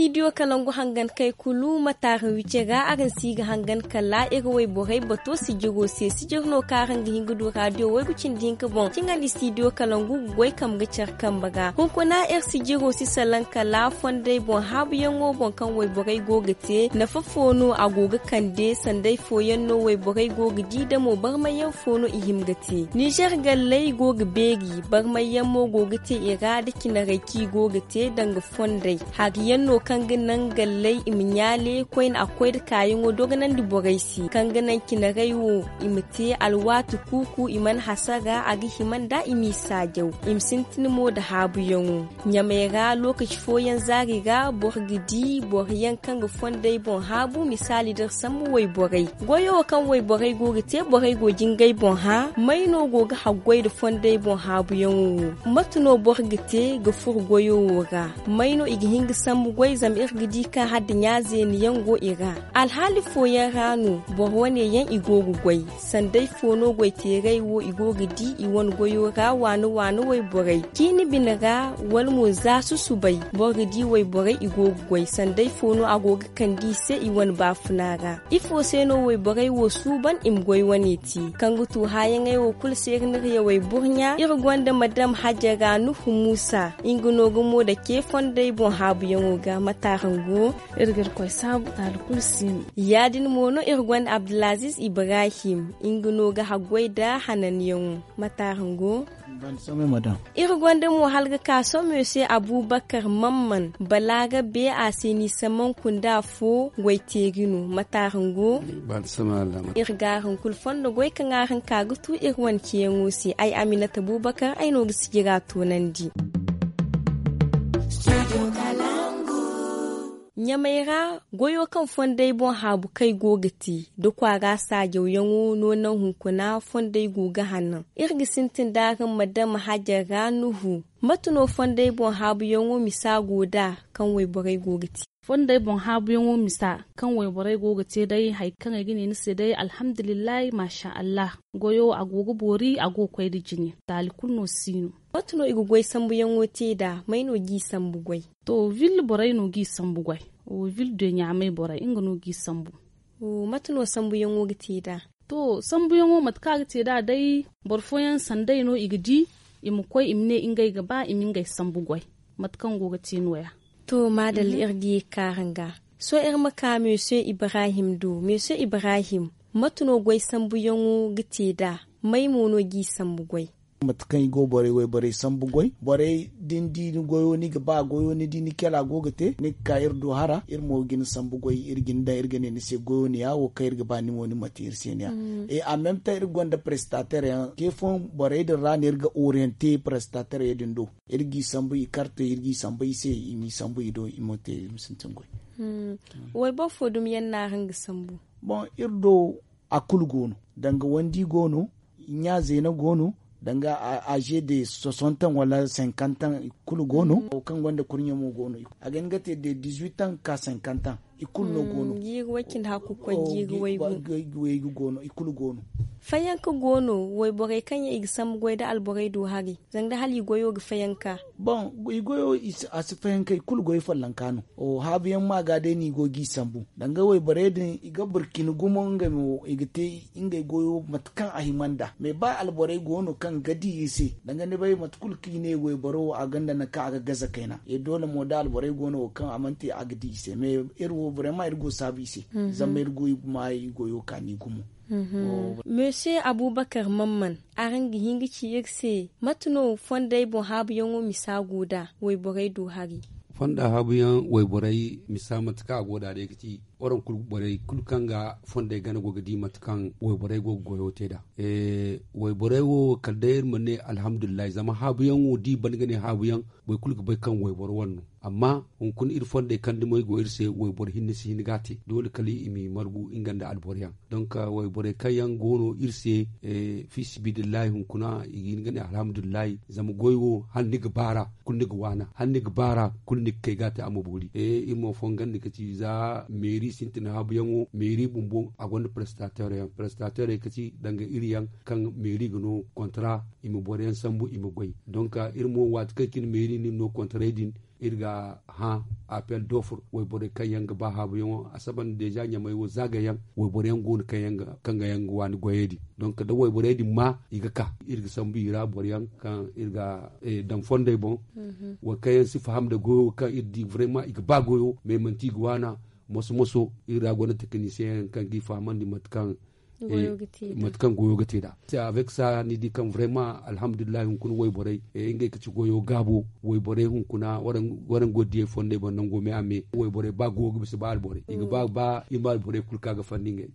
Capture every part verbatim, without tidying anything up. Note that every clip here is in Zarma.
Idiyo kalangu hangan kay kulu ma taaran wice ga araŋ si ga hangan kala iri wayborey bato sijiro se sijir no kaŋ araŋ ga hin ga du raadiyo waygu cindi hinka boŋ ciŋandi stidiyo kalangu ga goy kambe care kambe ga hunkuna iri sijiro si salaŋ kala fondey boŋ haabuyaŋo boŋ kaŋ wayborey go ga te nafa fo no a go ga kande sanday fooyaŋ no wayborey go ga di damo barmayyaŋ fo no i hima ga te ninzeer galley go ga beeri barmayyaŋ mo go ga te i ra da cinarey kaŋ i go ga te danga fondey hari yaŋ no kaŋ ga naŋ galley i ma ɲaale koyne a ga koy nda kaayaŋo dogonandi borey se kaŋ ga naŋ cinarey wo i ma te alwaati kuuku i mana hasara a ga hima nda i m'i saajaw i ma sintin mo nda haabuyaŋo ɲamey ra lookaci fooyaŋ zaari ra boro ga di boro yaŋ kaŋ ga fondey boŋ haabu misaali da iri sambu wayborey goyo wo kaŋ wayborey go ga te borey go ga ngey boŋ hã may no go ga haggoy nda fondey boŋ haabuyaŋo wo mate no boro ga te ga furo goyo wo ra may no i ga hin ga sambu goy zama iri ga di kaŋ hala nda ɲaazeeni yaŋ go i ra alhaali fooyaŋ ra no boro wane yaŋ i go ga goy sanday fo no goyteerey wo i go ga di i wane goyo ra waane waane wayborey ciini bine ra wala mo za susubay boro ga di wayborey i go ga goy sanday fo no a go ga kande i se i wane baafuna ra ifo se no wayborey wo suuban i ma goy wane te kaŋ ga tu haayaŋey wo kulu se iri n'iri yawey burɲa iri gonda madam hajara nuhu muusa nga no ga mo dake fondey boŋ haabuyaŋo ga mate araŋ go iri ga irkoy saabu taali kulu si no ya- din mo no iri gonda abdulaziz ibrahim nga no ga haggoy nda hananyaŋo mate araŋ go iri gonda mo hala ga ka somo se abubakar mamman balaarabe a se ni samanku nda afo goyteeri no mate araŋ go iri ga araŋ kulu fondo goy kaŋ araŋ ka ga tu iri wane ceeyaŋo se ay aminata abubakar ay no ga sijira toonandi ɲamey ra goyo kaŋ fondey boŋ haabu kaŋ ay go ga te da kwaara saajawyaŋo no naŋ hunkuna fondey go ga hanno iri ga sintin da araŋ ma dama hajar ra nuhu mate no fondey boŋ haabuyaŋo misa go nd'a kaŋ wayborey go ga te fondey boŋ haabuyaŋo misa kaŋ wayborey go ga te day hari kaŋ ay ga ne ni se day alhamdulillahi maasa allah goyo a go ga boori a go ga koy nda jine taali kulu no si no mate no i ga goy sambuyaŋo te nd'a may no g'i sambu goy to ville borey no g'i sambu goy ville de ɲaamay borey nga no g'i sambu mate no sambuyaŋo ga te nd'a to sambuyaŋo mate kaŋ a ga te nd'a day boro fooyaŋ sanday no i ga di i ma koy i ma ne ngey ga ba i ma ngey sambu goy mate kaŋ go ga te no- ya to maadalla iri ga ye ga ka araŋ ga sohõ iri ma ka meese ibrahim do meese ibrahim mate no goy sambuyaŋo ga te nd'a may mo no g'i sambu goy mate kaŋ i go borey wayborey sambu goy borey da ni di ni goyo ni ga ba goyo ni di ni kela go ga te ni ga ka iri do hara iri mo ga ni sambu goy iri ga ni daŋ iri ga ne ni se goyo ni ya wo kaŋ iri ga ba ni mo ni ma te iri se ni ya en même temps iri gonda prestater yaŋ ke fooyaŋ borey din ra no iri ga oriente prestater yaŋ din do iri g'i sambu i karte iri g'i sambu i se i m'i sambu i do i ma te i ma sintin goy wayboro fo dumi yaŋ no araŋ ga sambu boŋ iri do a kulu go no danga wandi go no ɲa zeena go no danga aze de soixante ans wala cinquante ans i kulu go no wo kaŋ gonda kurɲe mo go no a ga hin ga te de dix-huit ans ka cinquante ans i kulu no go no jiiri way cindi hakku koy jiiri waygu go no i kulu go no fayanka go no wayborey kaŋ yaŋ i ga sambu goy nda alborey do hari zanga da hala i goyo ga fayanka boŋ i goyo a si fayanka i kulu goy follonka no haabuyaŋ ma ga day no i go g'i sambu danga wayborey din i ga burkina gumo ngey mo i ga te ngey goyo mate kaŋ a hima nd'a mais ba alborey go no kaŋ ga di i se danga ni bay mate kulu kaŋ i ne wayboro wo a gonda nangu kaŋ a ga gaza kayna e doole mo da alborey go no wo kaŋ a mana te a ga di i se mais iri wo vraiment iri go saabu i se zama iri go i ma i goyo kaani gumo monsieur abubakar mamman araŋ ga hin ga ci iri se mate no fondey boŋ haabuyaŋo misa go nd'a wayborey do hari fonda haabuyaŋ wayborey misa mate kaŋ a go nd'a day ga ci waraŋ kulu borey kulu kaŋ ga fondey gana go ga di mate kaŋ wayborey go ga goyo te nd'a wayborey wo kala day iri ma ne alhamdulillahi zama haabuyaŋo da i ban ga ne haabuyaŋ boro kulu ga bay kaŋ wayboro wane no amma hunkuna iri fondey kaŋ dumey go iri se wayboro hinne si hin ga a te doole kala i m'i margu nga nda alboro yaŋ donk wayborey kaŋ yaŋ go no iri se fi sibidillahi hunkuna i ga hin ga ne alhamdulillahi zama goy wo hala ni ga baara kulu ni ga waana hala ni ga baara kulu ni ga kay ga a te a ma boori iri mo fongandi ga ci za meeri Sintina haabuyaŋo meeri bumbo a gonda prestateur yaŋ prestateur yaŋ ka ci danga iri yaŋ kaŋ meeri ga no kontra i ma boro yaŋ sambu i ma goy. Donk iri mo waati kaŋ cine meeri no kontra din iri ga hã apel dofur wayborey kaŋ yaŋ ga ba haabuyaŋo a saba nda deeza ɲamey wo zaagayaŋ. Wayborey yaŋ go no kaŋ yaŋ ga waani goyey din. Donk da wayborey din ma i ga ka iri ga sambu i ra boro yaŋ kaŋ iri ga daŋ fondey boŋ. Wo kaŋ yaŋ si faham nda goyo kaŋ iri di vrema i ga ba goyo me manti i ga waana moso moso. Iri ra gonda tekinisiyeŋ yaŋ kaŋ ga i fahamandi mate kaŋ goyo ga te nd'a. Avec sa ni di kaŋ vrema alhamdulillahi hunkuna wayborey ngey ga ci goyo gaabo. Wayborey hunkuna waraŋ go diyey fondey boŋ nango me a me wayborey ba goyo ga bisa ba alborey i ga ba ba i ma alborey kulu kaŋ a ga fandi ngey.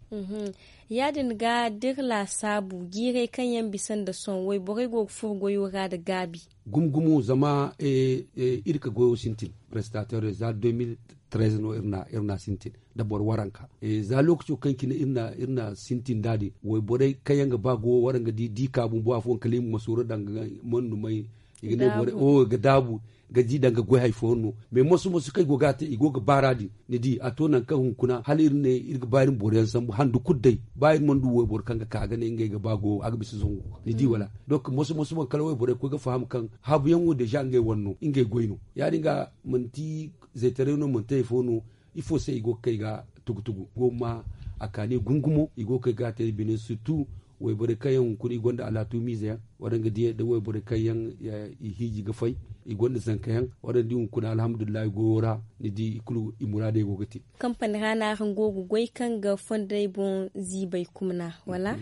Ya- din ga da iri laasaabu jiirey kaŋ yaŋ bisa nda sohõ wayborey go ga furo goyo ra nda gaabi. Gumo gumo zama iri ka goyo sintin prestateur za deux mille treize no iri na sintin nda boro waranka. Za lookaco kaŋ cine iri na sintin nd'a din wayborey kaŋ yaŋ ga ba goyo waraŋ ga di di ka bumbo afooyaŋ kala i ma masoro daŋ ga mandumay i ga ne borey ga daabu ga di daŋ ga goy hari fooyaŋ no. Mais moso moso kaŋ i go ga a te i go ga baara din ni di a to nangu kaŋ hunkuna hala iri ne iri ga ba iri ma boro yaŋ sambu handu kulu day ba iri mana du wayboro kaŋ ga ka ga ne ngey ga ba goyo a ga bisa zangu ni di wala. Donk moso moso boŋ kala wayborey ga koy ga faham kaŋ haabuyaŋ wo deeza ngey wane no ngey goy no. Ya- din ga manti zaytaray no manti hari fo no ifo se i go ga kay ga tugu tugu go ma a kaani gumo gumo i go ga kay ga a te bine surtout wayborey kaŋ yaŋ hunkuna i gonda alaatu miize yaŋ waraŋ ga di nda wayborey kaŋ yaŋ i hiiji ga fay i gonda zanka yaŋ waraŋ di hunkuna alhamdulillahi goyo ra ni di i kulu i muraadey go ga te. Kampani ra no araŋ go ga goy kaŋ ga fondey boŋ ziibay kumna wala?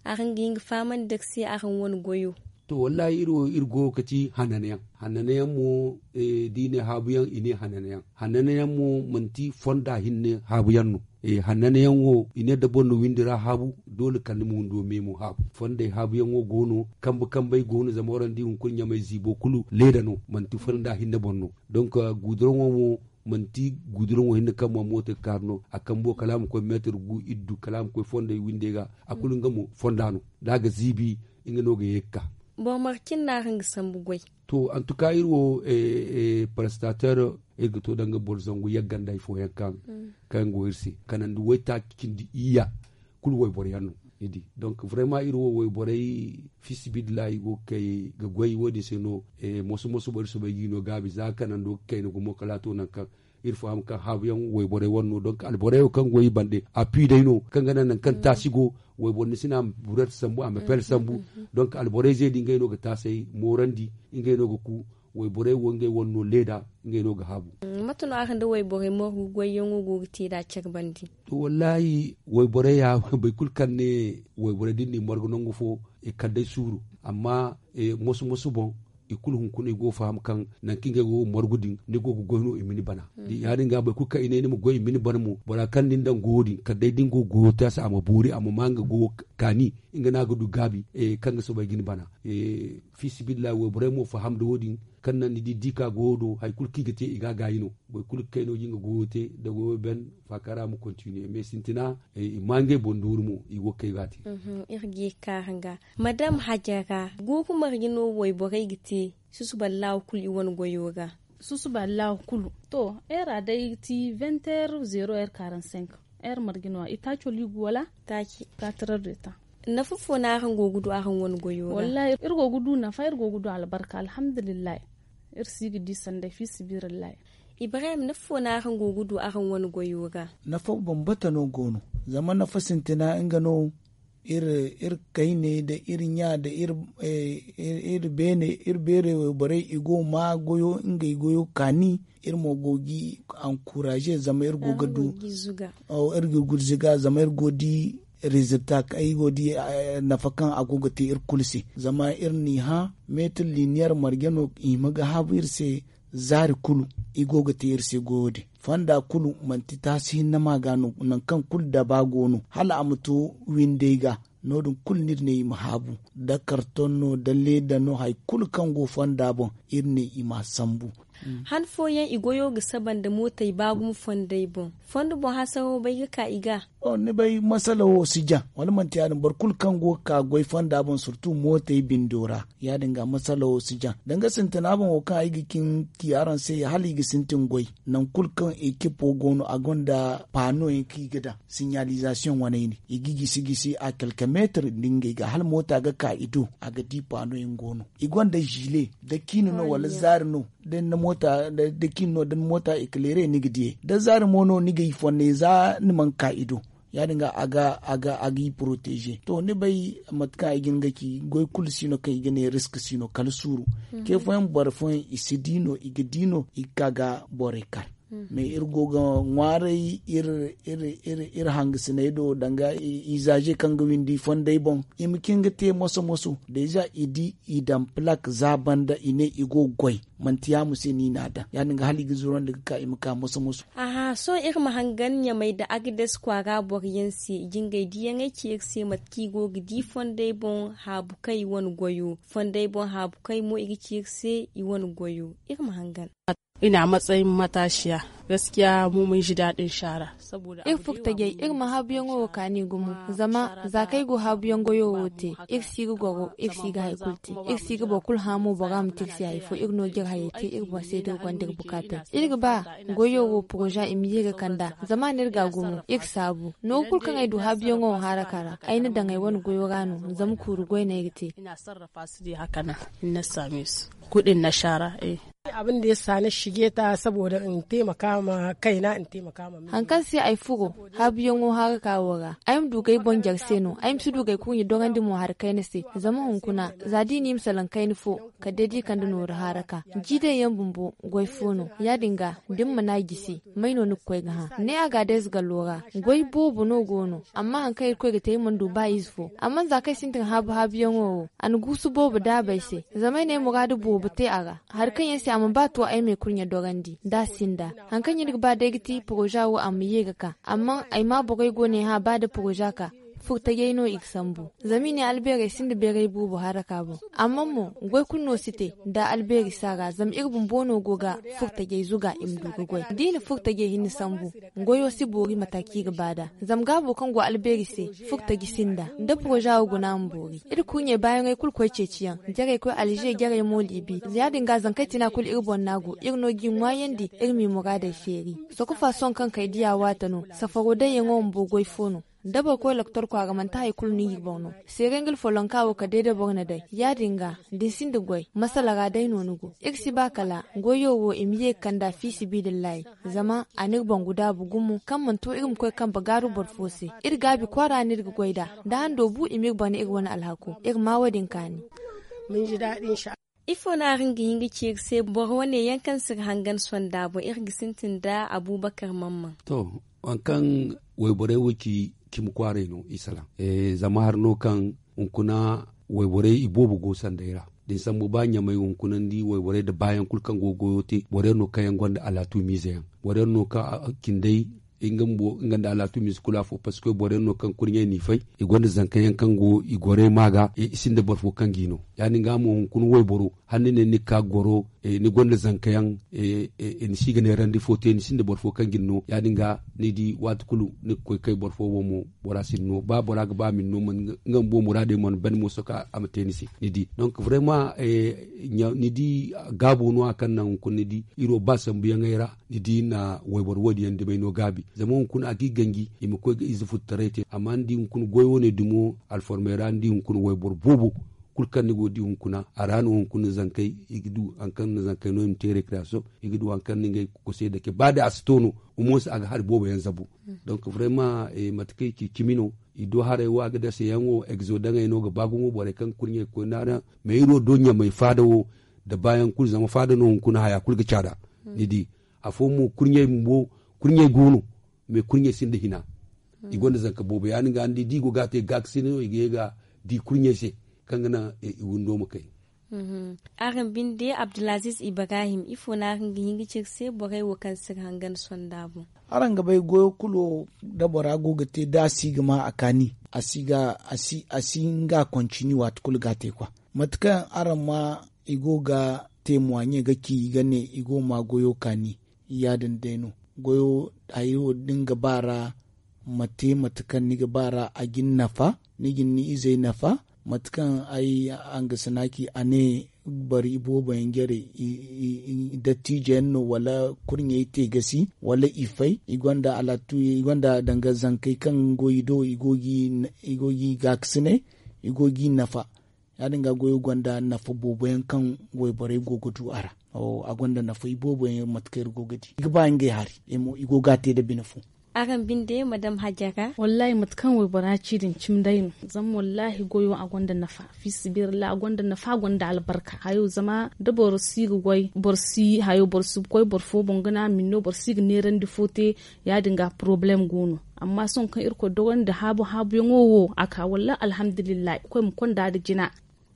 Araŋ ga hin ga fahamandi da ga se araŋ wane goyo? To wallahi iri wo iri go ga ci hananayaŋ hananayaŋ mo da i ne haabuyaŋ i ne hananayaŋ hananayaŋ mo manti fonda hinne haabuyaŋ no. Hananayaŋ wo i ne da boro na windi ra haabu doole kala ni ma windo me mo haabu fondey haabuyaŋo go no kambe kambey go no zama waraŋ di hunkuna ɲamey ziibo kulu leeda no manti fonda hinne boŋ no. Donk guduroŋo mo manti guduroŋo hinne kaŋ ma mooto ga kaaru no a kambo kala a ma koy meetar gu iddu kala a ma koy fondey windey ga a kulu nga mo fonda no. Da a ga ziibi nga no ga ye ga ka. Boro marcin no araŋ ga sambu goy? To antuka iri wo prestateur iri ga to danga boro zangu yagga nda hari fooyaŋ kaŋ kaŋ go iri se kanandi waytaaci cindi iyya kulu wayboro yaŋ no. Ni di donk vrema iri wo wayborey fiisabilillahi i go ga kay ga goy wo- din se no. Moso moso boro iri soobay ga i no gaabi za kanando ga kayna gumo kala a to nangu kaŋ iri faham kaŋ haabuyaŋ wayborey wane no donk alborey wo kaŋ go i bande a pi day no kaŋ ga naŋ nangu kaŋ taasi go. Wayboro ni si ne a ma burete sambu a ma pele sambu. Donk alborey ze din ngey no ga taasey moorandi ngey no ga ku wayborey wo ngey wane no leeda ngey no ga haabu. Mate no araŋ nda wayborey margu goyyaŋo go ga te nd'a care bande? To wallahi wayborey ya boro kulu kaŋ ne wayborey da ni n'i margu nangu fo i kala day suuru. Amma moso moso boŋ i kulu hunkuna i go ga faham kaŋ nangu kaŋ ngey go ga margu din ni go ga goy no i ma ni bana. Ya- din ga boro kulu kaŋ i ne ni ma goy i ma ni bana mo bora kaŋ ni daŋ goyo din kala day da ni go ga goyo te a se a ma boori a ma ma nga goyo kaani nga no a ga du gaabi kaŋ ga soobay ga ni bana. Fiisabilillahi wayborey mo faham nda wo- din kaŋ naŋ ni di di ka goyo do hari kulu kaŋ i ga te i ga a gaayi no. Boro kulu ga kay no ga nga goyo te nda goyo ben faakara ma kontiniye mais sintina i ma ngey boŋ duuru mo i go ga kay ga a te. Iri ga ye ga ka araŋ ga madam hajara guuru marje no wayborey ga te susuba laawa kulu i wane goyo ra? Susuba laawa kulu to heure a day ga ti vingt heure zero heure quarante cinq. Heure marje no a itaaco liigu wala? Taaci. Quatre heure de temps. Nafa fo no araŋ go ga du araŋ wane goyo ra? Wallahi iri go ga du nafa iri go ga du albarka alhamdulillahi. Iri si ga di sanday fiisabilillahi. Ibrahim nafa fo no araŋ go ga du araŋ wane goyo ra? Nafa bambata no go no. Zama nafa sintina nga no iri kayne nda iri ɲa nda iri beene iri beerey wayborey i go ga ma goyo ngey goyo kaani. Iri mo go ga i ankuraze zama iri go ga du iri ga gurzuga zama iri go ga di rezilta kaŋ ay go ga di nafa kaŋ a go ga te iri kulu se. Zama iri n'i hã meetir liniyar marje no i hima ga haabu iri se. Zaari kulu i go ga te iri se goyo din fonda kulu manti taasi hinne ma ga no nangu kaŋ kulu daba go no hala a ma to windey ga. No- din kulu no iri ne i ma haabu da karton no da leeda no hari kulu kaŋ go fonda boŋ iri ne i ma a sambu. Han fooyaŋ i goyo ga saba nda mootey ba gumo fondey boŋ. Fondo boŋ hasaro bay ga ka i ga. Ni bay masala wo si jaŋ wala manti ya- din boro kulu kaŋ go ga ka goy fonda boŋ surtu mootey bindo ra. Ya- din ga masala wo si jaŋ danga sintina boŋ wo kaŋ ay ga cin ti araŋ se hala i ga sintin goy. Nangu kulu kaŋ ekipo go no a gonda paano yaŋ kaŋ i ga daŋ sinyalizasiyoŋ waney ne i ga gisi gisi a kalkameetir nda ngey ga hala moota ga ka i do a ga di paano yaŋ go no. I gonda zile da ciine no wala zaari no. Da ni na moota da ciine no da ni moota ekilere ni ga diyey da zaari mo no ni ga i fonnay za ni mana ka i do. Ya- din ga a ga a ga i poroteeze to ni bay mate kaŋ ay ga hin ga ci goy kulu si no kaŋ i ga ne risk si no kala suuru. Ce fooyaŋ boro fooyaŋ i si di no i ga di no i ga ka ga borey kar. Mais iri go ga ŋwaaray iri hangasiney do danga izaaze kaŋ ga windi fonday boŋ i ma cin ga te moso moso deeza i di i daŋ plak za banda i ne i go ga goy. Manti yaamo se no i n'a daŋ ya- din ga hala i ga zurandi ga ka i ma ka moso moso. Aha sohõ iri ma hangan ɲamay nda agades kwaara boro yaŋ se jingay diyaŋey ci iri se mate kaŋ i go ga di fonday boŋ haabu kaŋ i wane goyo fonday boŋ haabu kaŋ mo i ga ci iri se i wane goyo. Iri ma hangan. Ina matsayin matashiya gaskiya mu mun ji daɗin shara. Iri furtajey iri ma haabuyaŋo wo kaani gumo zama za kaŋ ay go haabuyaŋ goyo wo te. Iri si ga goro iri si ga hari kulu te. Iri si ga boro kulu hã mo bora ma te iri se hari fo iri no ga iri hayey te iri boŋ se da iri gonda iri bukaatey. Iri ga ba goyo wo poroza i ma ye ga kand'a zama a n'iri ga gumo iri saabu. Nooru kulu kaŋ ay du haabuyaŋo wo haraka ra ay na daŋ ay wane goyo ra no. Zama kuuru goy no ay ga te. Ina sarrafa su de haka nan. Ina same su kuɗin na shara. Abin da ya sa na shige ta saboda in taimaka ma kaina in taimaka ma miji. Hankan se ay furo haabuyaŋo haraka wo ra ay ma du gay boŋ jar se no ay ma si du gay kurɲe dorandi mo hari kayna se. Zama hunkuna za da i n'i ma salaŋ kayna fo kala day da i kande nooru haraka. Jiiday yaŋ bumbo goy fo no ya- din ga da ni mana a jisi may no ni ga koy ga hã ne a ga day za gallo ra. Goy boobo no go no amma hari kaŋ irkoy ga te ay mana du ba ize fo amma za kaŋ ay sintin haabu haabuyaŋo wo a na guusu boobo daabay se. Zama ay na ay muraadu boobo te a ra. Hari kaŋ yaŋ se a ma ba to ay ma ay kurɲe dorandi da a sinda. Hari kaŋ yaŋ ni ga ba day ga ti poroza wo a ma ye ga ka amma ay ma borey go no ay hã ba da poroza ka. Furtajey no i ga sambu zama i ne albeerey sinda beeray boobo haraka boŋ. Amma mo goy kulu no si te da albeeri si a ra zama iri bumbo no go ga furtajey zuga i ma du ga goy da i na furtajey hinne sambu. Goyo si boori mata kaŋ i ga ba nd'a zama gaabo kaŋ go albeeri se furtaji sinda da poroza wo guna ma boori. Iri kurɲey baayaŋey kulu koy ceeciyaŋ jarey koy alze jarey mo liibi. Ya- din ga zankey tina kulu iri boŋ no a go iri no g'i ŋwaayandi iri m'i muraadey feeri. Sokofa sohõ kaŋ kay diya waate no safaro dayyaŋo bumbo goy fo no. Da boro koy loktor kwaara manti hari kulu no iri boŋ no. Seeray nga alfolonka wo kala day da boro na day ya- din ga da ni sinda goy masala ra day no ni go. Iri si ba kala goyo wo i ma ye ga kand'a fiisibiidillahi. Zama a n'iri boŋ ga daabu gumo kaŋ mana to iri ma koy kambe gaaru boro fo se. Iri gaabi kwaara no iri ga goy nd'a da hando bu i m'iri bana iri wane alhako iri ma wo- din kaani. Ifo no araŋ ga hin ga ci iri se boro wane yaŋ kaŋ si ga hangan sonda boŋ iri ga sintin nda abuubakar mamman. To, waŋ kaŋ wayborey wo ci cimi kwaaray no i salaŋ. Zama hari no kaŋ hunkuna wayborey i boobo go sanday ra. Da ni sambu ba ɲamay hunkuna ni di wayborey nda baayaŋ kulu kaŋ go ga goyo te boro yaŋ no kaŋ yaŋ gonda alaatu miize yaŋ. Boro yaŋ no kaŋ cindey nga nda alaatu miize kulu afo parceque boro yaŋ no kaŋ kurɲey n'i fay i gonda zanka yaŋ kaŋ go i gorey ma ga i sinda boro fo kaŋ g'i no. Ya- din ga mo hunkuna wayboro hala ni ne ni ga ka goro ni gonda zanka yaŋ ni si ga neerandi fo te ni sinda boro fo kaŋ g'i no ya- din ga ni di waati kulu ni ga koy kay boro fo boŋ mo. Bora si ni no ba bora ga ba a ma ni no nga bumbo muraadey mana ban mo sohõ kaŋ a ma te ni se. Ni di donc vraiment ni di gaabo no- ya kaŋ naŋ hunkuna ni di iri wo ba sambuyaŋey ra ni di na wayboro wo- din yaŋ dumey no gaabi. Zama hunkuna a g'i ganji i ma koy ga ize futtaray te amma ni di hunkuna goy wane dumo alformey ra ni di hunkuna wayboro boobo kulu kaŋ ni go ga di hunkuna a ra no hunkuna zankey i ga du hari kaŋ na zankey no i ma te rekreyasiyoŋ. I ga du hari kaŋ na ngey kosey dake ba day a si to no. Omo se a ga hari boobo yaŋ zabu. Donc vraiment mate kaŋ i ci cimi no i do haray wo a ga dase yaŋ wo egzo daŋey no ga ba gumo borey kaŋ ga kurɲey ga koy naaraŋ. Mais iri wo do ɲamay faada wo nda baayaŋ kulu zama faada no hunkuna haya kulu ga caada. Ni di afo mo kurɲey bumbo kurɲey go no. Mais kurɲey sinda hina i gonda zanka boobo ya- din ga ni di da i go ga a te gaakasina no i ga ye ga di kurɲey se kaŋ ga naŋ i windo ma kay. Araŋ binde abdulaziz ibrahim ifo no araŋ ga hin ga ci iri se borey wo kaŋ si iri hangan sonda boŋ? Araŋ ga bay goyo kulu da bora go ga te da a si ga ma a kaani a si nga kontini waati kulu ga a te kwa. Mate kaŋ araŋ ma i go ga teemuwaaɲe ga ci i ga ne i go ga ma goyo kaani. Ya- din day no goyo hayo da ni ga ba ra ma te mate kaŋ ni ga ba ra a ga ni nafa. Ni ga ni izey nafa mate kaŋ ay hangasina ci a ne boro iboobo yaŋ jare dattijo yaŋ no wala kurɲey te gasi wala i fay i gonda alaatu i gonda danga zankey kaŋ go i do i go ga i gaakasinay i go ga i nafa. Ya- din ga goyo gonda nafa boobo yaŋ kaŋ wayborey go ga du a ra. A gonda nafa iboobo yaŋ mate kaŋ iri go ga di i ga ba ngey hari i go ga a te nda bine fo. Araŋ binde madam hajara. Wallaahi mate kaŋ waybora ci din cimi day no. Zama wallaahi goyo a gonda nafa fiisabilillahi a gonda nafa a gonda albarka hayo zama da boro si ga goy boro si hayo boro si ga koy boro fo boŋ ga ne a ma ni no boro si ga neerandi fo te. Ya- din ga porobalem go no. Amma sohõ kaŋ irkoy dogandi haabu haabuyaŋo wo a ka wallaahi alhamdulillahi koy ma konda nda jina.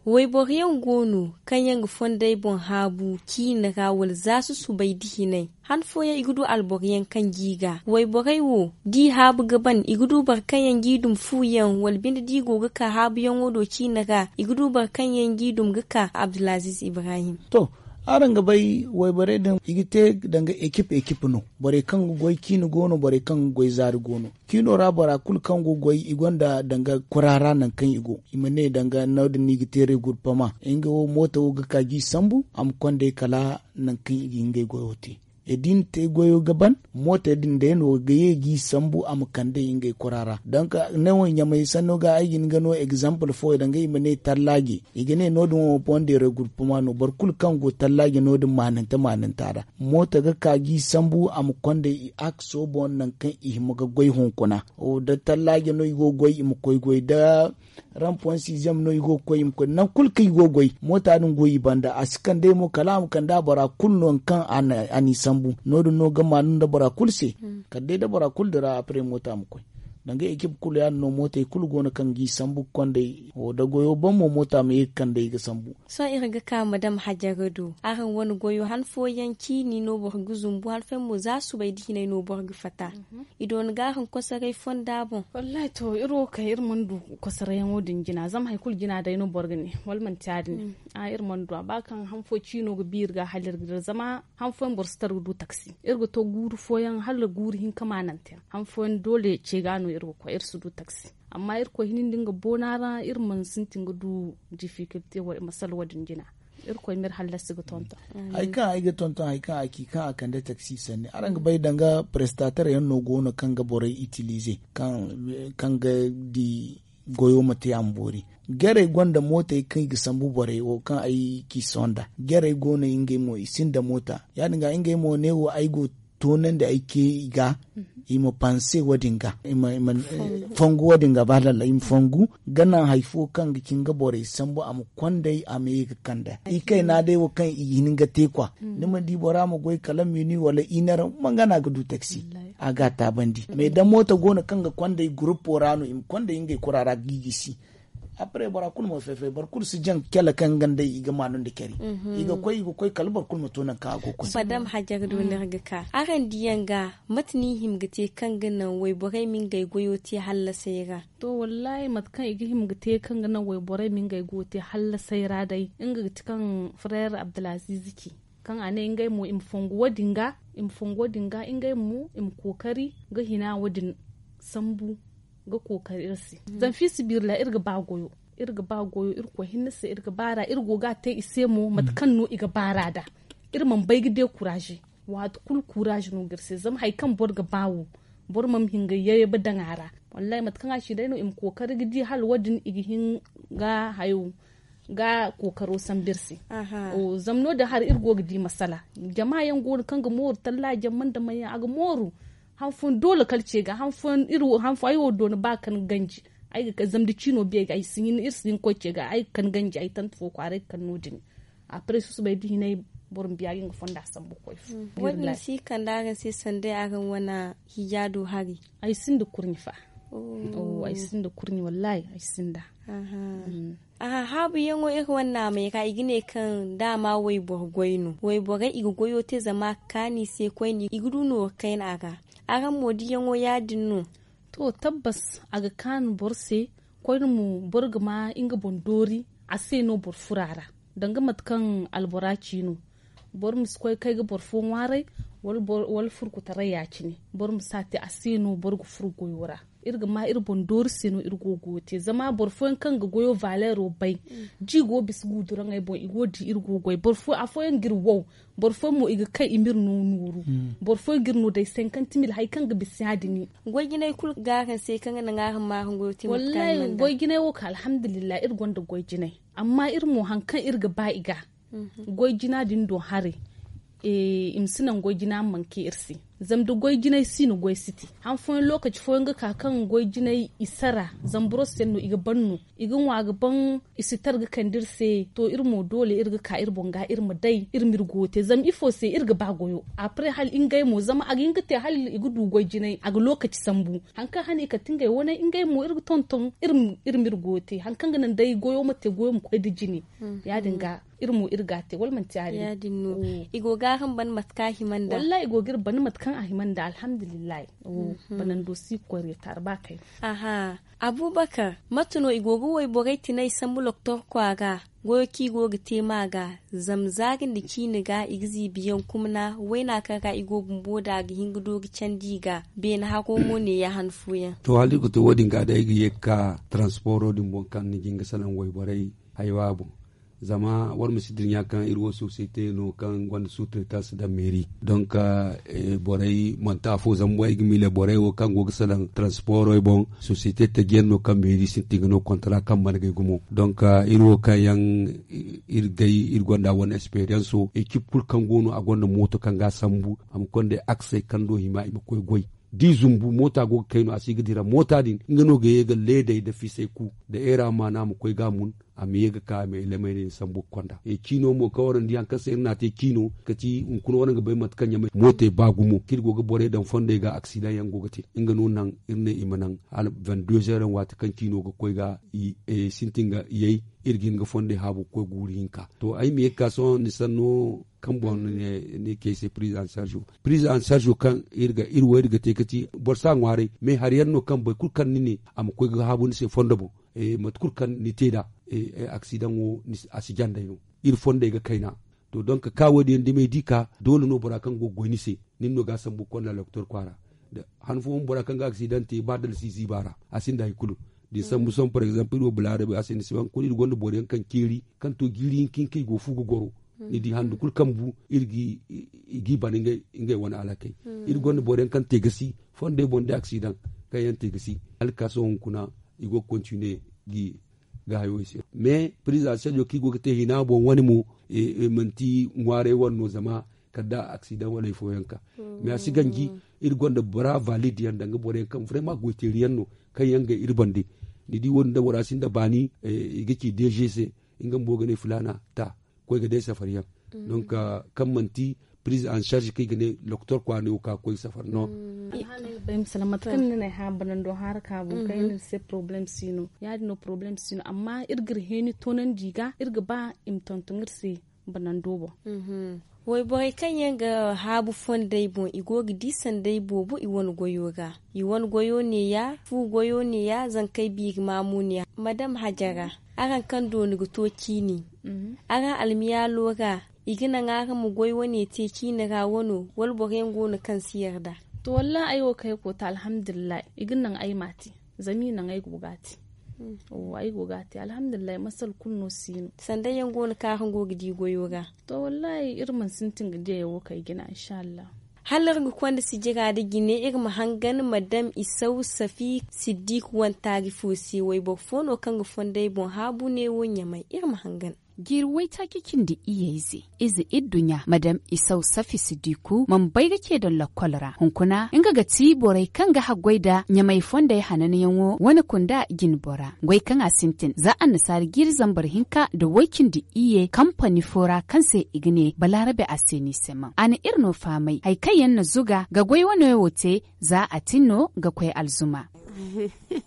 Wayboro yaŋ go no kaŋ yaŋ ga fondey boŋ haabu ciine ra wala za susubay nda hinay. Han fooyaŋ i ga du alboro yaŋ kaŋ g'i ga wayborey wo da i haabu ga ban i ga du boro kaŋ yaŋ g'i dum fu yaŋ wala binde da i go ga ka haabuyaŋo do ciine ra i ga du boro kaŋ yaŋ g'i dum ga ka abdulaziiz ibrahim. To, araŋ ga bay wayborey din i ga te danga ekip ekip no. Borey kaŋ ga goy ciine go no borey kaŋ ga goy zaari go no. Ciino ra bora kulu kaŋ go ga goy i gonda danga kura ra nangu kaŋ i go. I ma ne danga no- din no i ga te reeguruppama nga wo mooto wo ga ka ga i sambu a ma kond'ey kala nangu kaŋ i ga ngey goyo te. E da i na te goyo ga ban mootey din day no ga ye ga i sambu a ma kand'ey ngey kura ra. Donk ne wo ɲamey sanno ga ay ga hin ga no egzampil fo danga i ma ne tallaaje. I ga ne no- din wo boŋ day reeguruppama no boro kulu kaŋ go tallaaje no- din maanante maananta ra. Mooto ga ka ga i sambu a ma kond'ey i akso boŋ nangu kaŋ i hima ga goy hunkuna. Da tallaaje no i go ga goy i ma koy goy da rampon siizem no i go ga koy i ma koy nangu kulu kaŋ i go ga goy moota din go i banda a si kand'ey mo kala a ma kande a bora kulu no nangu kaŋ a n'i sambu. No- din no ga maanu nda bora kulu se. Kala day da bora kulu dira apre moota ma koy. Danga ekip kulu ya- din no mootey kulu go no kaŋ ga i sambu ga kond'ey wo da goyo boŋ mo moota ma ye ga kand'ey ga sambu. Sohõ iri ga ka madam hajara do araŋ wane goyo han fooyaŋ ciini no boro ga zumbu han fooyaŋ mo za subay da hinay no boro ga fatta. I doona ga araŋ kosoray fonda boŋ. Wallaahi to iri wo kay iri mana du kosarayyaŋo din jina zama hari kulu jina day no boro ga ne wala manti ya- din ne. Iri mana du a ba kaŋ han fo ciino ga bi iri ga hala iri ga dira zama han fooyaŋ boro si tar ga du taksi. Iri ga to guuru fooyaŋ hala guuru hinka maanante yaŋ han fooyaŋ doole ce ga no iri ga koy iri si du taksi. Amma irkoy hinne nda nga boona ra iri mana sintin ga du difikilte masala wo- din jina. Irkoy ma iri hallasi ga tonton. Hari kaŋ ay ga tonton hari kaŋ a ci kaŋ a kande taksi sanni araŋ ga bay danga prestater yaŋ no go no kaŋ ga borey itilize kaŋ ga di goyo ma te a ma boori. Jarey gonda mootey kaŋ i ga sambu borey wo kaŋ ay ci sohõ nd'a. Jarey go no ngey mo i sinda moota ya- din ga ngey mo ne wo ay go toonandi ay ce i ga i ma panse wo- din ga i ma fongu wo- din ga ba dalla i ma fongu ga naŋ hari fo kaŋ ga ci nga borey sambu a ma kond'ey a ma ye ga kand'a i kayna day wo kaŋ i ga hin ga te kwa. Ni ma di bora ma goy kala mini wala iner manga no a ga du taksi. A ga a taabandi mais da mooto go no kaŋ ga kond'ey gurupo ra no i ma kond'ey ngey kura ra ga i gisi. Apre bora kulu ma fay-fay boro kulu si jaŋ cala kaŋ nga nd'ey i ga maanu nda care. I ga koy i ga koy kala boro kulu ma to nangu kaŋ a go ga koy. Madam hajara do no iri ga ka araŋ diyaŋ ga mate no i hima ga te kaŋ ga naŋ wayborey ma ngey goyo te hallasey ra? To wallaahi mate kaŋ i ga hima ga te kaŋ ga naŋ wayborey ma ngey goyo te hallasey ra day nga ga ti kaŋ freer abdulaziiz ci kaŋ a ne ngey mo i ma fongu wo- din ga i ma fongu wo- din ga ngey mo i ma kookari ga hina wo- din sambu ga kookari iri se. Zama fiisabilillahi iri ga ba goyo iri ga ba goyo irkoy hinne se iri ga baar'a iri go ga a te i se mo mate kaŋ no i ga baar'a nd'a. Iri mana bay ga dekuraaze waati kulu kuraaze no ga iri se zama hari kaŋ boro ga ba wo boro mana hin ga yayba daŋ a ra. Wallaahi mate kaŋ a ci day no i ma kookari ga di hala wo- din i ga hin ga hayo ga kookaro sambu iri se. Zama no- din hari iri go ga di masala jama yaŋ go no kaŋ ga mooru tallaaji yaŋ mana daŋ mana yaŋ a ga mooru. Han fooyaŋ doole kala ce ga han fooyaŋ ay wo doona ba kaŋ ganji ay ga kay zama da ciino biya ay si hin iri si hin ga koy ce ga ay ga kande ganji ay tante fo kwaara ay ga kande no- din. Apre susubay da hinay boro ma biya ga nga fonda sambu ga koy fu. Wo- din si kande araŋ se sanda araŋ wane hijaado hari? Ay sinda kurɲe fa. Ay sinda kurɲe wallaahi ay sinda. Aha. Haabuyaŋo iri wane naamey ra i ga ne kaŋ daama wayboro goy no wayborey i ga goyo te zama a ga kaanu i se koyne i ga du nooru kayna a ra. Araŋ mo diyaŋo ya- din no? To tabbas a ga kaanu boro se koyne mo boro ga ma nga boŋ doori a se no boro furo a ra. Danga mate kaŋ albora ci no, boro ma si koy kay ga boro fo ŋwaaray, wala furkutaray ya- cine. Boro ma si a te a se no boro ga furo goyo ra. Iri ga ma iri boŋ doori se no iri go ga goyo te zama boro fooyaŋ kaŋ ga goyo valeero bay, da i go ga bisa guuduraŋey boŋ i go ga di iri go ga goy. Afooyaŋ ga iri wow, boro fooyaŋ mo i ga kay i ma iri no nooru. Boro fooyaŋ ga iri no day senkanti mil hari kaŋ ga bisa ya- din. Goy jinay kulu ga araŋ se kaŋ ga naŋ araŋ ma araŋ goyo te mate kaŋ araŋ mana da. Goy jinay wo ka alhamdulillahi iri gonda goy jinay. Amma iri mo hari kaŋ iri ga ba i ga goy jina din do haray, i ma si naŋ goy jina ma manke iri se. Zama da goy jinay si no goy si te. Han fooyaŋ lookaci fooyaŋ ga ka kaŋ goy jinay i sara, zama boro se no i ga ban no, i ga ŋwa ga ban, i si tar ga kande iri se. To iri mo doole iri ga ka iri boŋ ga iri ma day iri ma iri goyo te zama ifo se iri ga ba goyo. Apre hala ngey mo zama a ga hin ga te hala i ga du goy jinay a ga lookaci sambu. Hari kaŋ hane i kate ngey wane ngey mo iri ga tonton iri ma iri goyo te hari kaŋ ga naŋ day goyo ma te goyo ma koy nda jine. Ya- din ga iri mo iri ga a te wala manti ya- din? Ya- din no. I go ga araŋ ban mate kaŋ a hima nda? Wallahi i go ga iri ban mate kaŋ a hima nda alhamdulillahi. Banando si ga koy reetaar ba kayna. Aha. Abubakar, mate no i go ga wayborey tinay sambu loktor kwaara? Goyo kaŋ i go ga te ma ga, zama zaari nda ciine ga i ga ziibi yaŋ kumna wayna kaŋ ra i go bumbo da a ga hin ga doori candi i ga. Beene haro mo ne ya han fooyaŋ. To hala iri ga to wo- din ga day ay ga ye ga ka taransiporo din boŋ kaŋ ni ga hin ga salaŋ wayborey haywa boŋ. Zama war ma si dira ɲa kaŋ iri wo sosiyete no kaŋ gonda sutreta si daŋ meeri. Donk borey manti afo zama ay ga miile borey wo kaŋ go ga salaŋ taransiporey boŋ, sosiyete taji yaŋ no kaŋ meeri sintin ga no kontara kaŋ mana gay gumo. Donk iri wo kaŋ yaŋ iri gay iri gonda wane esperiyanso ekip kulu kaŋ go no a gonda mooto kaŋ ga a sambu a ma konda aksey kaŋ do hima i ma koy goy. Da i zumbu moota go ga kay no a si ga dira moota din nga no ga ye ga leedey nda fiisay ku nda eera ma no a ma koy ga a mun. A ma ye ga ka a ma elemey din sambu ga konda ciino mo kaŋ waraŋ di hari kaŋ se iri n'a te ciino kati hunkuna waraŋ ga bay mate kaŋ ɲamay mootey ba gumo kaŋ iri go ga borey daŋ fondey ga aksidaŋ yaŋ go ga te. Nga no naŋ iri ne i ma naŋ hala vingt deux heures yaŋ waati kaŋ ciino ga koy ga sintin ga yay. Iri ga hin ga fondey haabu ga koy guuru hinka to ay ma ye ga ka sohõ ni sanno kaŋ boŋ ni ne ni kay se piriz en sarzo. Piriz en sarzo kaŋ iri ga iri wo iri ga te ga ti boro si a ŋwaaray me hari yaŋ no kaŋ boro kulu kaŋ ni ne a ma koy ga haabu ni se fondo boŋ. Mate kulu kaŋ ni te nd'a aksidaŋo a si jandey no. Iri fondey ga kayna to donk ka wo- din yaŋ da may di ka doole no bora kaŋ go ga goy ni se nin no ga a sambu ga konda doktor kwaara. Han fooyaŋ bora kaŋ ga aksidaŋ te ba dala si ziiba ra a sinda hari kulu. Da ni sambu sohõ par exemple iri wo balaarabe a se ni si ba hunkuna iri gonda boro yaŋ kaŋ ceeri kaŋ to jiiri hinka hinka i go ga fu ga goro. Ni di handu kulu kaŋ bu iri g'i ban ngey wane alakey. Iri gonda boro yaŋ kaŋ te gasi fondey boŋ day aksidaŋ kaŋ yaŋ te gasi hala ga ka sohõ hunkuna i go ga kontine ga hayo i se. Mais piriz en sarzo kaŋ i go ga te hina boŋ wane mo manti ŋwaaray wane no zama kala da aksidaŋ wala hari fooyaŋ ka. Mais a si ganji iri gonda bora valid yaŋ danga boro yaŋ kaŋ vrema goyteeri yaŋ no kaŋ yaŋ ga iri bande. Ni di wo- din da bora sinda baani i ga ci dg se nga bumbo ga ne filaana ta koy ga day safari yaŋ. Donc kaŋ manti piriz en sarzo kaŋ i ga ne doktor kwaara ne wo ka ga koy safari no. Bay ma salaŋ mate kaŋ ni na ay hã banando hara ka boŋ kaŋ ay ne ni se porobalem si no ya- din no porobalem si no amma iri ga iri heeni toonandi i ga iri ga ba i ma tonton iri se banando boŋ. Wayborey kaŋ yaŋ ga haabu fondey boŋ i go ga di sanday boobo i wane goyo ga. I wane goyo neeya fu goyo neeya zankey biiri maamu neeya madam hajara. Araŋ kaŋ dooni ga to ciini araŋ almiyaalo ga i ga naŋ araŋ ma goy wane te ciini ra wano wala boro yaŋ go no kaŋ si yarda? To wallahi ay wo kaŋ ay koy te alhamdulillahi i ga naŋ ay ma a te. Zama i naŋ ay go ga a te. Ay go ga a te alhamdulillahi masala kulu no si no. Sanday yaŋ go no kaŋ araŋ go ga di goyo ra? To wallahi iri mana sintin ga di ay wo kaŋ ay jina inshallah. Hala iri ga konda sijira nda jine iri ma hangan madam isaw safi siddiq wane taari fo se wayboro fo no kaŋ ga fondey boŋ haabu neewo ɲamay iri ma hangan. Jiiri waytaaci cindi iyye ize ize idduɲɲa madam isaw safi siddiku mana bay ga ce daŋ lakkol ra hunkuna nga ga ti borey kaŋ ga haggoy nda ɲamay fondey hananyaŋo wane kunda jinbora goy kaŋ a sintin za annasaara jiiri zambar hinka nda way-cindi iyye kampani fo ra kaŋ se i ga ne balaarabe a se ni se maŋ a na iri no fahamay hari kaŋ yaŋ na zuga ga goy wane wo te za a tin no ga koy alzuma.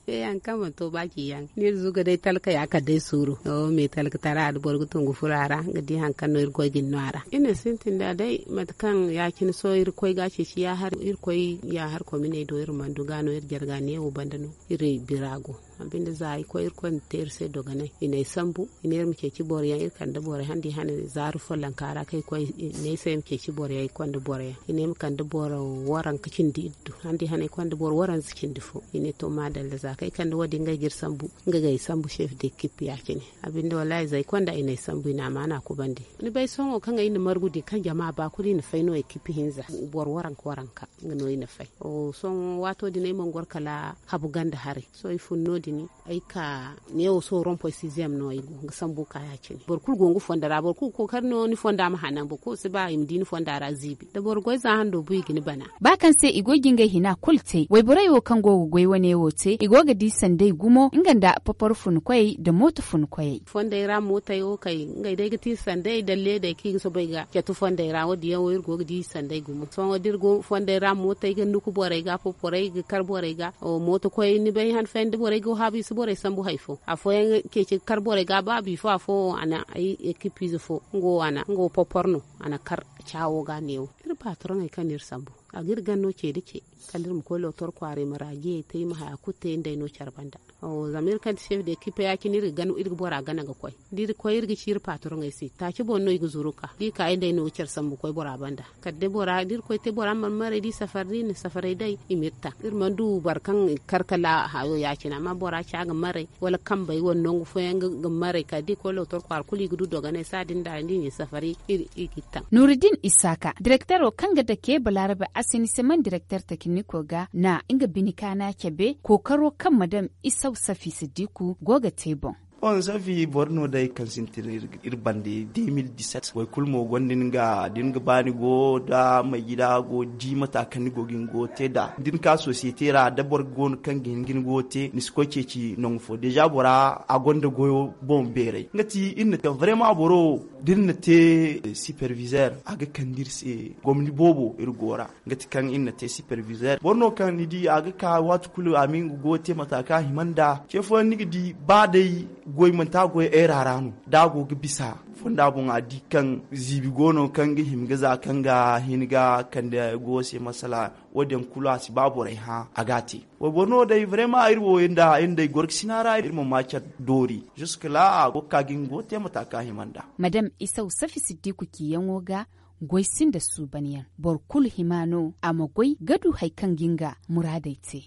Hari kaŋ mana to ba ci yaŋ no iri zuga day talka ya kala day suuru. Me talka tara da boro ga tungu furo a ra ga di hari kaŋ no iri goy ga ni no a ra iri na sintin da day mate kaŋ ya- cine sohõ iri koy ga a ceeci ya- har iri koy ya- har kominey do iri mana du ga no iri jarga neewo banda no iri bira go. A binde za ay koy irkoy na te iri se dogonay i na ay sambu. I ne iri ma ceeci boro yaŋ iri kande borey handi hane zaaru follonka ra kaŋ ay koy i ne ay se ay ma ceeci boro yaŋ ay konda boro yaŋ i ne ay ma kande boro waranka cindi iddu handi hane ay konda boro waranza cindi fo. I ne to maadalla za kaŋ ay kande wo- din ngey ga iri sambu. Nga ga ay sambu chef de ekipe ya- cine. A binde wallaahi za ay konda i na ay sambu i na amaana kubandi. Ni bay sohõ kaŋ ay na margu din kaŋ jama ba kulu i na fay no ekipe hinza boro waranka waranka nga no i na fay. Sohõ waato din ay mana goro kala habu ganda haray. Sohõ ay fun no- din ay ka neewo sohõ rompoy siiziyam no ay go ga sambu ka ya- cine boro kulu go nga fonda ra boro kulu ga kookari no ni fonda ma hanan boro kulu si ba i ma di ni fonda ra ziibi da boro goy za hando bu i ga ni bana. Ba kaŋ se i go ga ngey hina kulu te wayborey wo kaŋ go ga goy wane wo te i go ga di sanday gumo nga nda papar funkoyey nda mooto funkoyey. Fonday ra mootey wo kay ngey day ga ti sanday da leeday kaŋ i ga soobay ga catu fonday ra wo- din yaŋ wo iri go ga di sanday gumo sohõ da iri go fonday ra mootey ga nuku borey ga poporey ga kar borey ga. Mooto koy ni bay han fayyaŋ da borey go haabu i si borey sambu hari fo afooyaŋ ceeci ga kar borey ga ba bifo afo wo a na ay ekipiize fo nga wo a na nga wo popor no a na kar caawo ga neewo. Iri patroŋey kaŋ no iri sambu a ga iri gana no ce nda ce kala iri ma koy lootor kwaara i ma raajiyey te i ma haya kulu te nda ay no care banda. Zama iri kaŋ ti chef de ekipe ya- cine iri ga bora gana ga koy da iri koy iri ga ci iri patroŋey se taaci boŋ no i ga zuru ka da i ka ay nda ay no ga care sambu koy bora banda. Kala day bora da iri koy te bora ma marmaray da i safari da i na safaray day i ma iri taŋ iri mana du boro kaŋ i ga kar kala hayo ya- cine amma bora ci a ga maray wala kambey wala nangu fooyaŋ ga maray kala da i koy lootor kwaara kulu i ga du dogonay saadin da i na i safari i ga i taŋ. Nuruddin isaaka direktero kaŋ ga dake balaarabe assainissement direkter tekiniko ga na nga bine kaana cabe kookaro kaŋ madam isaw safi siddiku go ga te boŋ. Bon safi boro no day kaŋ sintin iri bande de mil diset boro kulu mo gonda ni ga da ni ga ba ni go da may gida go di mata kaŋ ni go ga ni go te nd'a da ni ka sosiyete ra da boro go no kaŋ ga hin ga ni go te ni si koy ceeci nangu fo deeza bora a gonda goyo boŋ beeray nga ti iri na te vrema boro da iri na te sipervizer a ga kande iri se gomni boobo iri go ra. Nga ti kaŋ iri na te sipervizer boro no kaŋ ni di a ga ka waati kulu a ma nga goyo te mata kaŋ a hima nd'a ce fooyaŋ ni ga di ba day goy manti a goy eera ra no da a go ga bisa fonda boŋ a di kaŋ ziibi go no kaŋ ga hima ga za kaŋ ga hin ga kande goyo se masala. Wo- din kulu a si ba borey hã a ga a te wayboro no day vrema iri wo nda ay nda ay gorgasina ra iri ma ma care doori ziska la a go ga ka ga nga goyo te mata kaŋ a hima nd'a. Madam isaw safi siddiku ciyaŋo ga goy sinda suuban yaŋ boro kulu hima no a ma goy ga du hari kaŋ ga nga muraadey te.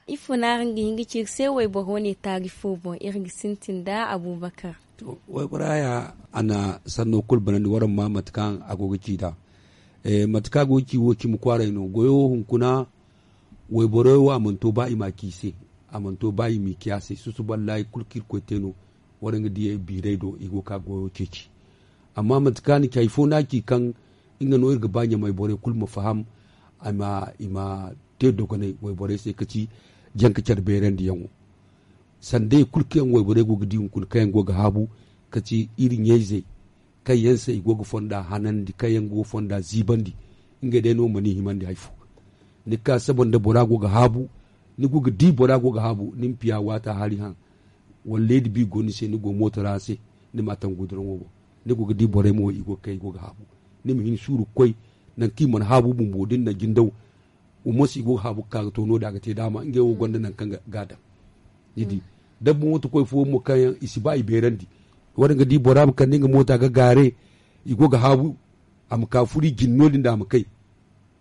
Ifo no araŋ ga hin ga ci iri se wayboro wane taari fo boŋ iri ga sintin nda abuubakar. To waybora ya a na sanno kulu banandi waraŋ ma mate kaŋ a go ga ci nd'a. Mate kaŋ a go ga ci wo cimi kwaaray no goyo hunkuna. Wayborey wo a mana to ba i m'a ci i se a mana to ba i m'i ci a se susuba laayi kulu kaŋ irkoy te no. Waraŋ ga diyey biirey do i go ga ka goyo ceeci. Amma mate kaŋ a na ci hari fo no a ci kaŋ nga no iri ga ba ɲamay borey kulu ma faham i ma te dogonay wayborey se ka ci janka care beerandiyaŋo. Sanda yaŋ kulu kaŋ yaŋ wayborey go ga di hunkuna kaŋ yaŋ go ga haabu ka ci iri ɲayzey kaŋ yaŋ se i go ga fonda hanandi kaŋ yaŋ go ga fonda ziibandi. Ngey day no mana i himandi hari fo ni ga ka saba nda bora go ga haabu ni go ga di bora go ga haabu ni ma piya waata hari haŋ wala leedi bi go ni se ni go mooto ra se ni ma a taŋ guduraŋo boŋ. Ni go ga di borey mo i go ga kay i go ga haabu ni ma hin suuru ga koy nangu kaŋ i mana haabu bumbo da ni na jindaw. Wa mo se i go ga haabu ga ka ga to no- din a ga te daama ngey wo gonda nangu kaŋ ga a daŋ. Ni di dabba mooto koy fooyaŋ mo kaŋ yaŋ i si ba i beerandi. Waraŋ ga di bora ma kande nga moota ga gaare i go ga haabu a ma ka furo i jine no- din da a ma kay.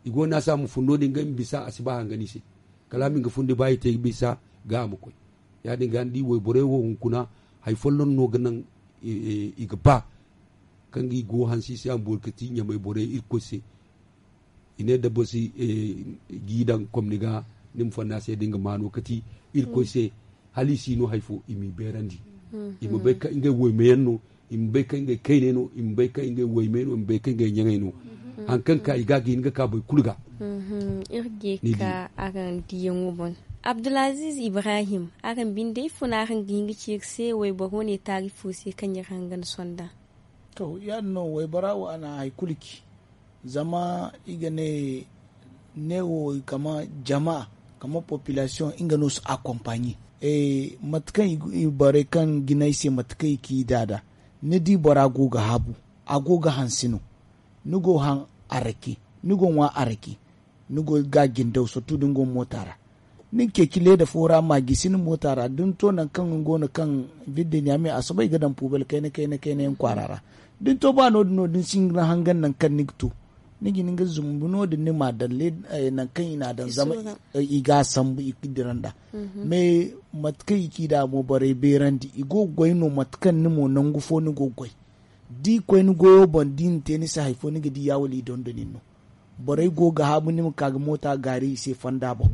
I go no a se a ma fun no- din ngey ma bisa a si ba hangan i se. Kala a ma nga fundi ba i te bisa ga a ma koy. Ya- din ga ni di wayborey wo hunkuna hari folloŋ no ga naŋ i ga ba kaŋ ga i go hanse i se a ma boori ga ti ɲamay borey irkoy se. I ne da boro si g'i daŋ komni ga ni ma fonda se da nga maano kati irkoy se. Hala i si no hari fo i m'i beerandi i ma bay kaŋ ngey waymeyaŋ no i ma bay kaŋ ngey kayney no i ma bay kaŋ ngey waymey no i ma bay kaŋ ngey ɲaŋey no. Hari kaŋ ka i ga ga hin ga ka boro kulu ga. Iri ga ye ka araŋ diyaŋo boŋ. Abdulaziz ibrahim, araŋ binde ifo no araŋ ga hin ga ci iri se wayboro ne taarifo se kaŋ iri haŋ ga ni sonda? To ya- din no waybora wo a na hari kulu ci. Zama i ga ne neewo kama jama kama population nga no si akompaɲi. Mate kaŋ i borey kaŋ jinay se mate kaŋ i ci i daada ni di bora go ga haabu a go ga hanse no. Ni go haŋ arake ni go ŋwa arake ni go ga jindaw sortu da ni go moota ra. Ni ga ceeci leeda fo ra ma gisi ni moota ra da ni to nangu kaŋ ni go no kaŋ vidde ɲaame a soobay ga daŋ puubel kayna kayna kayna yaŋ kwaara ra. Da ni to ba no- din no da ni si hin ga ni hangan nangu kaŋ ni ga to ni ga hin ga zumbu no- din ni ma daŋ nangu kaŋ i n'a daŋ zama i ga a sambu i ga dira nd'a. Mais mate kaŋ i ci nd'a mo borey beerandi i go ga goy no mate kaŋ ni mo nangu fo ni go ga goy. Da i koy ni goyo boŋ da i na te ni se hari fo ni ga di ya wala i dondon nin no. Borey go ga haabu ni ma ka ga moota gaari i se fonda boŋ.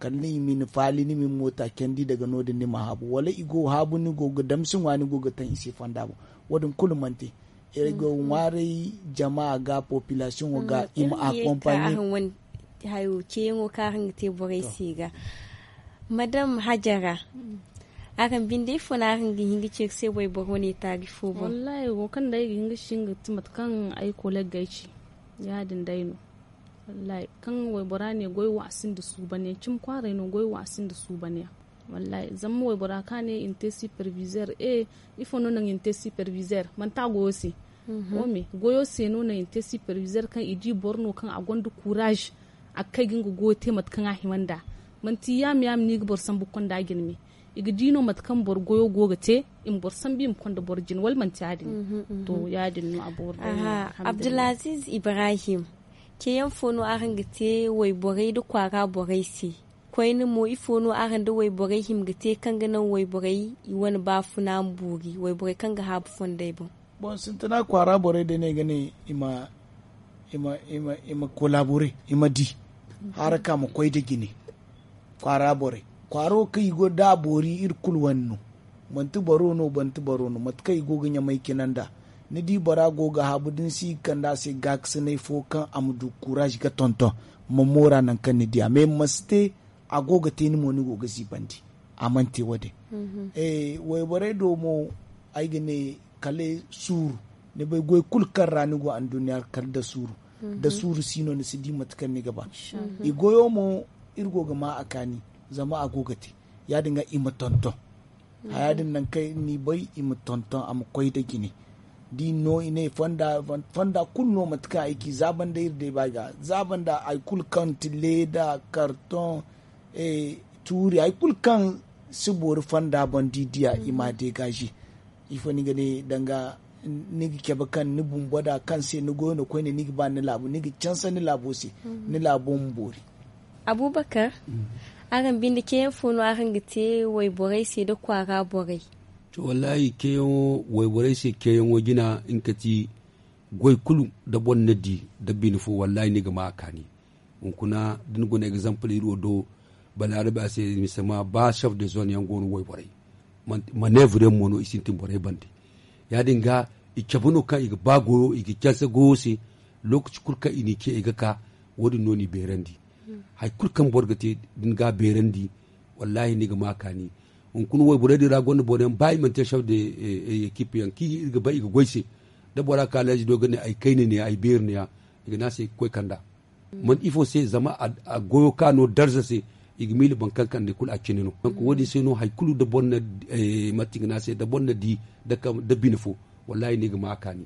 Kala ni ma ni faali ni ma ni moota candi daga no- din ni ma haabu wala i go ga haabu ni go ga damsi ŋwa ni go ga taŋ i se fonda boŋ. Wo- din kulu mana te. Iri go ga ŋwaaray jama ga populasiyoŋo ga i ma akompanye. Hayo ceeyaŋo kaŋ araŋ ga te borey se ga madam hajara. Araŋ binde ifo no araŋ ga hin ga ceeri se wayboro ne taari fo boŋ? Wallahi wo kaŋ day ga hin ga singa ti mate kaŋ ay koleg ga ay ci. Ya- din day no. Wallahi kaŋ waybora ne goy wo a sinda suuban yaŋ cimi kwaaray no goy wo a sinda suuban yaŋ. Wallahi zama waybora ka ne i na te sipervizer e ifo no naŋ i na te sipervizer manti a goyo se. Wo me goyo se no naŋ i na te sipervizer kaŋ i di boro no kaŋ a gonda kuuraaz a ga kay ga nga goyo te mate kaŋ a hima nd'a. Manti yaama yaama no i ga boro sambu ga konda jine me. I ga di no mate kaŋ boro goyo go ga te i ma boro sambu i ma konda boro jine wala manti ya- din. To ya- din no a boori day no. Abdulaziz ibrahim, ceeyaŋ fo no araŋ ga te wayborey nda kwaara borey se? Koyne mo ifo no araŋ nda wayborey hima ga te kaŋ ga naŋ wayborey i wane baafuna ma boori wayborey kaŋ ga haabu fondey boŋ? Boŋ sintina kwaara borey day no ay ga ne i ma i ma i ma i ma kolabore i ma di haraka ma koy nda jine. Kwaara borey kwaaro kaŋ i go da a boori iri kulu wane no. Manti boro no manti boro no mate kaŋ i go ga ɲamay cina nd'a. Ni di bora go ga haabu da ni si ga kande a se gaakasinay fo kaŋ a ma du kuuraaz ga tonton ma moora nangu kaŋ ni di a mais ma si te. A go ga te ni mo ni go ga ziibandi. A mana te wo- din. Wayborey do mo ay ga ne kala suuru. Ni bay goy kulu kaŋ ra ni go anduɲɲa kala nda suuru. Da suuru si no ni si di mate kaŋ ni ga ba. I goyo mo iri go ga ma a kaani zama a go ga te. Ya- din ga i ma tonton haya din nangu kaŋ ni bay i ma tonton a ma koy nda jine. Da i no i ne fonda kulu no mate kaŋ ay ci zaabanda iri day ba ga zaabanda hari kulu kaŋ ti leeda karton tuuri hari kulu kaŋ si boori fonda boŋ da i diya i ma a degaze. Ifo ni ga ne danga ni ga cabe kaŋ ni bumbo da kaŋ se ni goyo no koyne ni ga ba ni laabu ni ga canse ni laabo se. Ni laabo ma boori. Abubakar, araŋ binde ceeyaŋ fo no araŋ ga te wayborey se nda kwaara borey? To wallahi ceeyaŋo wayborey se ceeyaŋo jina nga ka ti goy kulu da boro na di da bine fo wallahi ni ga ma a kaani. Hunkuna da ni guna egzampil iri wo do balaarabe a se misama ba chef de zone yaŋ go no wayborey maneevre yaŋ mo no i sintin borey bande. Ya- din ga i cabe no kaŋ i ga ba goyo i ga canse goyo se. Lookaci kulu kaŋ i n'i ce i ga ka wo- din no n'i beerandi. Hari kulu kaŋ boro ga te da ni ga a beerandi wallahi ni ga ma a kaani. Hunkuna wayborey din ra gonda boro yaŋ ba i mana te chef de ekipe yaŋ kaŋ iri ga bay i ga goy se. Da bora ka leezi do ga ne ay kayna ne ya ay beeri ne ya i ga ne a se i ga koy kand'a. Man ifo se zama a goyo ka no darza se i ga miila boro kaŋ kande kulu a cine no. Donk wo- din se no hari kulu da boro na mate i ga ne a se da boro na di da bine fo wallahi ni ga ma a kaani.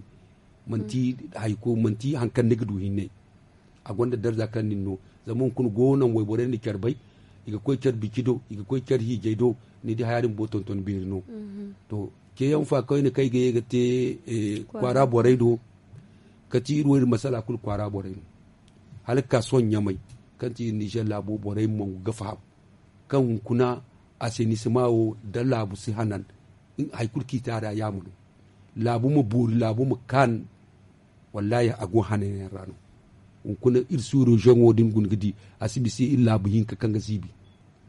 Manti hari ko manti hari kaŋ ni ga du hinne. A gonda darza kaŋ nin no zama hunkuna go naŋ wayborey na care bay. I ga koy care bici do i ga koy care hiijay do. Ni di haya din bumbo tonton beeri no. To ceeyaŋ fa koyne kaŋ ay ga ye ga te kwaara borey do. Kati iri wo iri masala kulu kwaara borey no. Hala ga ka sohõ ɲamay kaŋ ti iri nizer laabo borey mo ga faham kaŋ hunkuna asenisima wo da laabu si hanan. Hari kulu kaŋ i te a ra yaama no. Laabu ma boori laabu ma kaan. Wallahi a go hananyaŋ ra no. Hunkuna iri suuru zoŋo da ni guna ga di a si bisa iri laabu hinka kaŋ ga ziibi.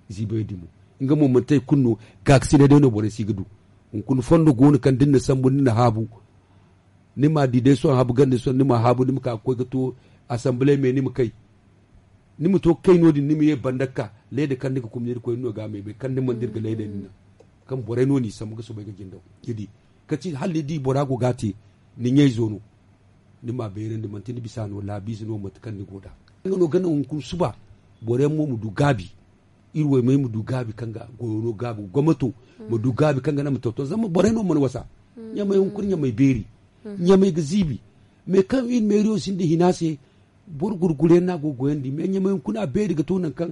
Ziibay dimo nga mo manti hari kulu no. Gaakasinay day no borey si ga du. Hunkuna fondo go no kaŋ da ni na sambu ni na haabu. Ni ma di day sohõ habu ganda sohõ ni ma haabu ni ma ka ga koy ga to asamble me ni ma kay. Ni ma to ga kay no- din ni ma ye banda ga ka leeda kaŋ ni ga kuma ni iri koy ni no ga a maymay kaŋ ni mana dira ga leeda ni naŋ. Kaŋ borey no n'i sambu ga soobay ga jindaw ni di. Kati hala ni di bora go ga a te ni ɲayzo no. Ni ma a beerandi manti ni bisa no laabiize no mate kaŋ ni go nd'a. Nga no ga naŋ hunkuna suba boro yaŋ mo ma du gaabi. Iri waymey ma du gaabi kaŋ ga goyo no gaabi gomnato ma du gaabi kaŋ ga naŋ ma tonton zama borey no mana wasa. Ɲamey hunkuna ɲamey beeri. Ɲamey ga ziibi. Mais kaŋ iri meeriyo sinda hina se boro gurgure no a go ga goyandi mais ɲamey hunkuna a beeri ga to nangu kaŋ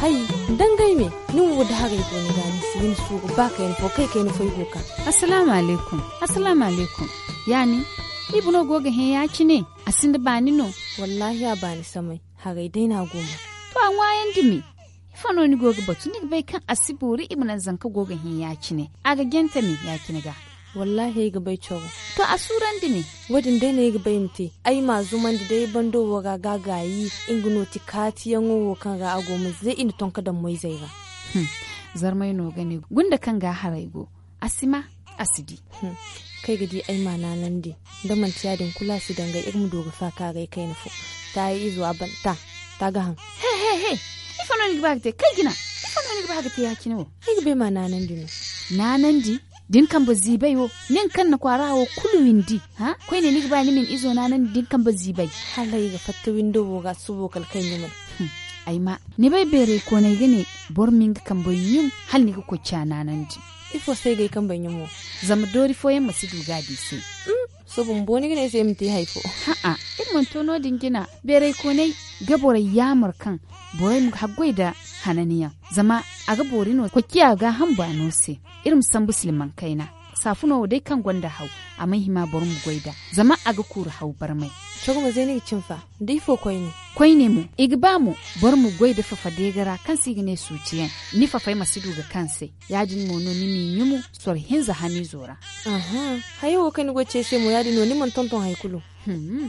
Hay, dangay me, ni wo da haray go ni ga ni si hin suuru ba kayna fo kay kayna fo ay go ka. Assalaamu alaykum. Assalaamu alaykum. Ya nin? Iba no go ga hin ya- cine? A sinda baani no? Wallaahi a baani samay. Haray day no a go ma. To a ŋwaayandi me. Ifo no ni go ga batu ni ga bay kaŋ a si boori i ma naŋ zanka go ga hin ya- cine? A ga jante me ya- cine ga. Wallaahi ay ga bay coro. To a suurandi ne. Wo- din day no ay ga bay ma te. Ay m'a zumandi day bando wo ra ga a gaayi. Nga no ti kaatiyaŋo wo kaŋ ra a go ma ze i na tonka daŋ moyzey ra. Zarmay no ga ne gunda kaŋ ga a haray go. A si ma, a si di. Kaŋ ay ga di ay m'a naanandi. Da manti ya- din kulu a si dangay iri ma du ga faakaaray kayna fo. Taayi izo a ban ta. Ta ga haŋ. He he he. Ifo no ni ga ba ga te kay jina? Ifo no ni ga ba ga te ya- cine wo? Ay ga bay m'a naanandi no. Naanandi? Da ni kambe ziibay wo, nin kaŋ na kwaara wo kulu windi. Koyne ni ga ba ni ma ni izo naanandi da ni kambe ziibay? Hala ay ga fatta windo wo ga subo kala kay ɲumay. Ay ma ni bay beeray koonay ga ne, boro ma nga kambey ɲum hala ni ga koy ciya naanandi. Ifo se ay ga ay kambey ɲum wo? Zama doori fooyaŋ ma si du ga a di se. Sohõ bumbo ni ga ne ay se ay ma te hari fo? Ha'a, iri mana to no- din jina. Beeray koonay ga borey yaamar kaŋ borey ma haggoy nda hananiyaŋ. Zama a ga boori no koy ciya gaaham baano se. Iri ma sambu silmaŋ kayna. Saafuno wo day kaŋ gonda haw, a mana hima boro ma goy nd'a. Zama a ga kuuru haw barmay. Coro mo zay ni ga cin fa? Da ifo koyne? Koyne mo, i ga ba mo boro ma goy nda fafa deega ra kaŋ se i ga ne suuciyaŋ. Ni fafay ma si du ga kaŋ se. Ya- din mo no ni m'i ɲumu soro hinza haniizo ra. Hayo wo kaŋ ni go ga ci ay se mo ya- din no ni mana tonton hari kulu.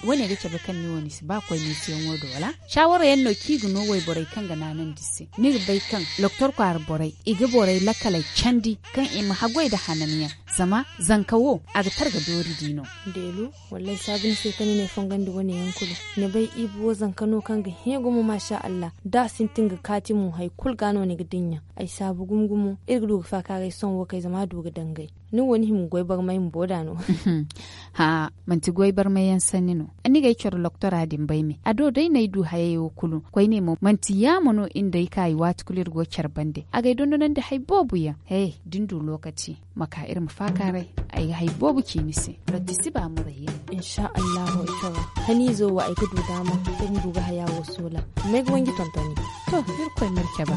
Wo- ne ga cabe kaŋ ni wo ni si ba koy meesiyaŋo do wala? Saawara yaŋ no kaŋ i ga no wayborey kaŋ ga naanandi se. Ni ga bay kaŋ loktor kwaara borey, i ga borey lakkaley candi kaŋ i ma haggoy nda hananyaŋ. Zama zanka wo, a ga targa doori di no. Deelu, wallaahi saabu ni se kaŋ ni n'ay fongandi wane yaŋ kulu. Ni bay ibi wo zanka no kaŋ ga hẽ gumo maasa allah. Da a sintin ga kaati mo hari kulu ga no ni ga dinya. Ay saabu gumo gumo iri ga du ga faakaaray sohõ wo kay zama a du ga dangay. Ni wo ni hima ga goy barmay bumbo nd'a no. Haa, manti goy barmay yaŋ sanni no. Ni ga ay coro loktora din bay me a do day no ay du hayey wo kulu koyne mo manti yaamo no iri nda ay kaayi waati kulu iri go care bande a ga ay dondonandi hari boobo yaŋ. He, da ni du lokaci, ma ka iri ma faakaaray. Ay ga hari boobo ci ni se. Rabbi si ba muray yaŋ. Insa allahu ay coro. Haniizo wo ay ga du daama iri ma du ga haya wo soola. May ga wanji tontoni. To, iri koy ma iri cabe.